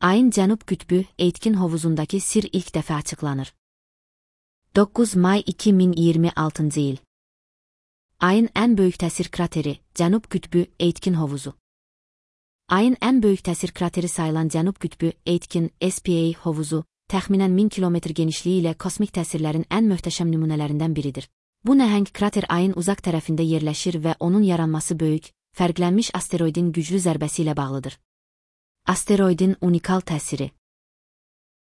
Ayın Cənub Qütbü Aitken hovuzundakı sir ilk dəfə açıqlanır. 9 may 2026 il. Ayın ən böyük təsir krateri Cənub Qütbü Aitken hovuzu. Ayın ən böyük təsir krateri sayılan Cənub Qütbü Aitken SPA hovuzu təxminən 1000 kilometr genişliyi ilə kosmik təsirlərin ən möhtəşəm nümunələrindən biridir. Bu nəhəng krater ayın uzaq tərəfində yerləşir və onun yaranması böyük, fərqlənmiş asteroidin güclü zərbəsi ilə bağlıdır. Asteroidin unikal təsiri.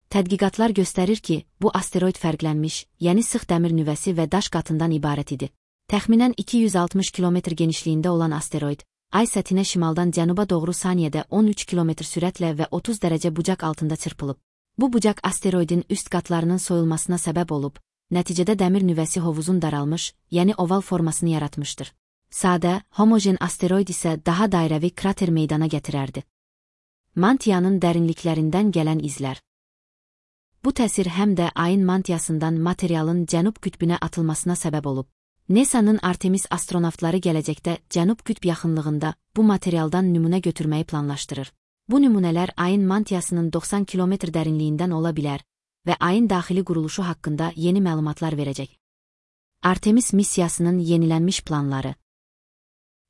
Tədqiqatlar göstərir ki, bu asteroid fərqlənmiş, yəni sıx dəmir nüvəsi və daş qatından ibarət idi. Təxminən 260 kilometr genişliyində olan asteroid, ay səthinə şimaldan cənuba doğru saniyədə 13 kilometr sürətlə və 30 dərəcə bucaq altında çırpılıb. Bu bucaq asteroidin üst qatlarının soyulmasına səbəb olub, nəticədə dəmir nüvəsi hovuzun daralmış, yəni oval formasını yaratmışdır. Sadə, homojen asteroid isə daha dairəvi krater meydana gətirərdi. Mantiyanın dərinliklərindən gələn izlər. Bu təsir həm də ayın mantiyasından materialın Cənub qütbünə atılmasına səbəb olub. NASA'nın Artemis astronavtları gələcəkdə Cənub qütb yaxınlığında bu materialdan nümunə götürməyi planlaşdırır. Bu nümunələr ayın mantiyasının 90 kilometr dərinliyindən ola bilər və ayın daxili quruluşu haqqında yeni məlumatlar verəcək. Artemis missiyasının yenilənmiş planları.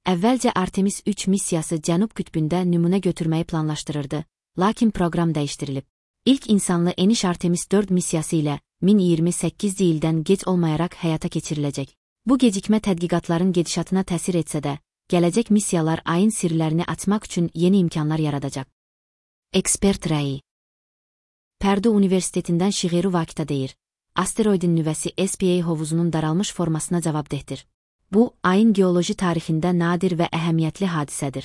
Əvvəlcə Artemis 3 missiyası Cənub qütbündə nümunə götürməyi planlaşdırırdı, lakin proqram dəyişdirilib. İlk insanlı eniş Artemis 4 missiyası ilə 2028 ildən gec olmayaraq həyata keçiriləcək. Bu gecikmə tədqiqatların gedişatına təsir etsə də, gələcək missiyalar ayın sirlərini açmaq üçün yeni imkanlar yaradacaq. Ekspert rəyi. Pərdu Universitetindən Şiğeru Vakita deyir, asteroidin nüvəsi SPA hovuzunun daralmış formasına cavabdehdir. Bu, ayın geoloji tarixində nadir və əhəmiyyətli hadisədir.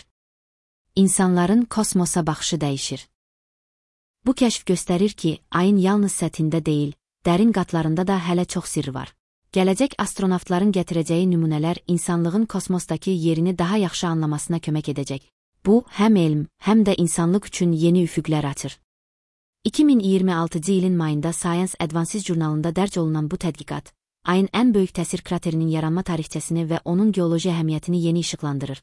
İnsanların kosmosa baxışı dəyişir. Bu kəşf göstərir ki, ayın yalnız səthində deyil, dərin qatlarında da hələ çox sirr var. Gələcək astronavtların gətirəcəyi nümunələr insanlığın kosmosdakı yerini daha yaxşı anlamasına kömək edəcək. Bu, həm elm, həm də insanlıq üçün yeni üfüqlər açır. 2026 ilin mayında Science Advances jurnalında dərc olunan bu tədqiqat, ayın ən böyük təsir kraterinin yaranma tarixçəsini və onun geoloji əhəmiyyətini yeni işıqlandırır.